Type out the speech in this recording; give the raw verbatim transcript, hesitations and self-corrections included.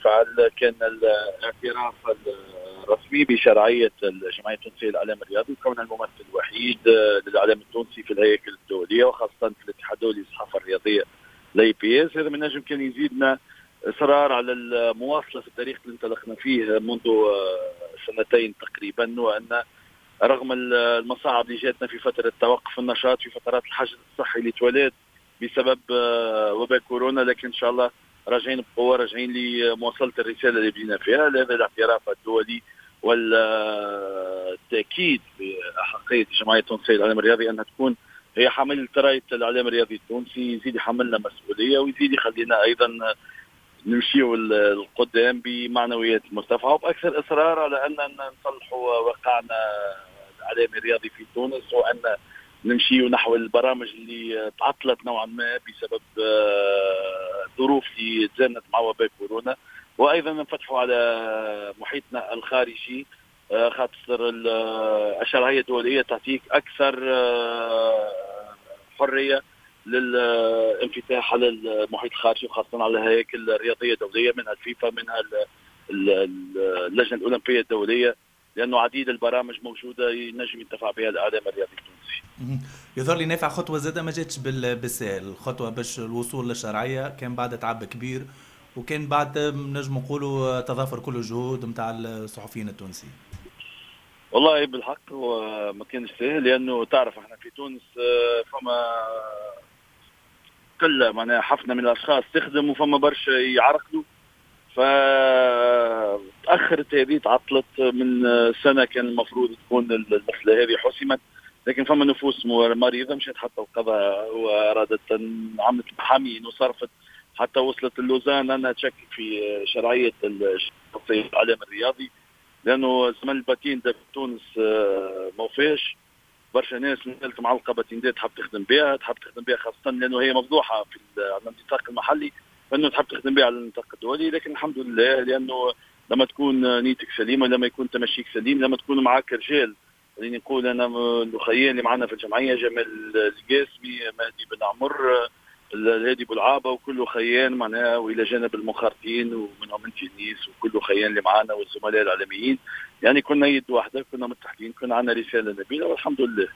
نافع، كان الاعتراف الرسمي بشرعية الجمعية التونسية للإعلام الرياضي وكونها الممثل الوحيد للإعلام التونسي في الهياكل الدولية وخاصة في الاتحاد الدولي للصحافة الرياضية l'AIPS. هذا من نجم كان يزيدنا إصرار على المواصلة في الطريق اللي انطلقنا فيه منذ سنتين تقريبا، وأن رغم المصاعب اللي جاتنا في فترة توقف النشاط في فترات الحجر الصحي اللي توالت بسبب وباء كورونا، لكن إن شاء الله راجعين بقوة، راجعين لمواصلة الرسالة اللي بدينا فيها. لهذا الاعتراف الدولي والتأكيد بأحقية الجمعية التونسية للإعلام الرياضي أنها تكون هي حاملة راية الإعلام الرياضي التونسي، يزيد يحملنا مسؤولية ويزيد يخلينا أيضا نمشيو للقدام بمعنويات مرتفعة وبأكثر إصرار على أن نصلحوا واقعنا الإعلامي الرياضي في تونس، وأن نمشيو نحو البرامج اللي تعطلت نوعا ما بسبب الظروف اللي تزامنت مع وباء كورونا، وايضا نفتحوا على محيطنا الخارجي خاطر الشرعية الدولية تعطيك اكثر حرية للانفتاح على المحيط الخارجي وخاصة على الهياكل الرياضية الدولية، منها الفيفا، منها اللجنة الاولمبية الدولية، لانه عديد البرامج موجودة ينجم ينتفع بها الاعلام الرياضي التونسي. يظهر لي نافع خطوة زاده ما جاتش بالسهل، الخطوة باش الوصول للشرعيه كان بعد تعب كبير، وكان بعد نجم نقولوا تضافر كل الجهود نتاع الصحفيين التونسيين. والله بالحق هو ما كانش سهل، لانه تعرف احنا في تونس فما قلة معناها حفنة من الاشخاص تخدم وفما برشا يعرقلوا، فتأخرت هذه، تعطلت من سنة كان المفروض تكون المسألة هذه حسمت، لكن فما نفوس مريضة مشات حتى القضاء وأرادت عملت محامين وصرفت حتى وصلت اللوزان أنها تشكك في شرعية الإعلام الرياضي، لأنه زمن ال patente في تونس ما وفاش، برشا ناس نزلت معلقة باتيندات تحب تخدم بها، تحب تخدم بها خاصة لأنه هي مفضوحة في النطاق المحلي، فانه تحب تخدم بها على النطاق الدولي. لكن الحمد لله، لانه لما تكون نيتك سليمة، لما يكون تمشيك سليم، لما تكون معك رجال، خليني نقول انا الاخيين اللي معنا في الجمعية، جمال القاسمي، مهدي بن عمر، الهادي بولعابه، وكل خيان معناها، والى جانب المخرطين ومنهم انت النيس وكل خيان اللي معنا والزملاء الاعلاميين، يعني كنا يد واحدة، كنا متحدين، كنا عندنا رسالة نبيلة والحمد لله.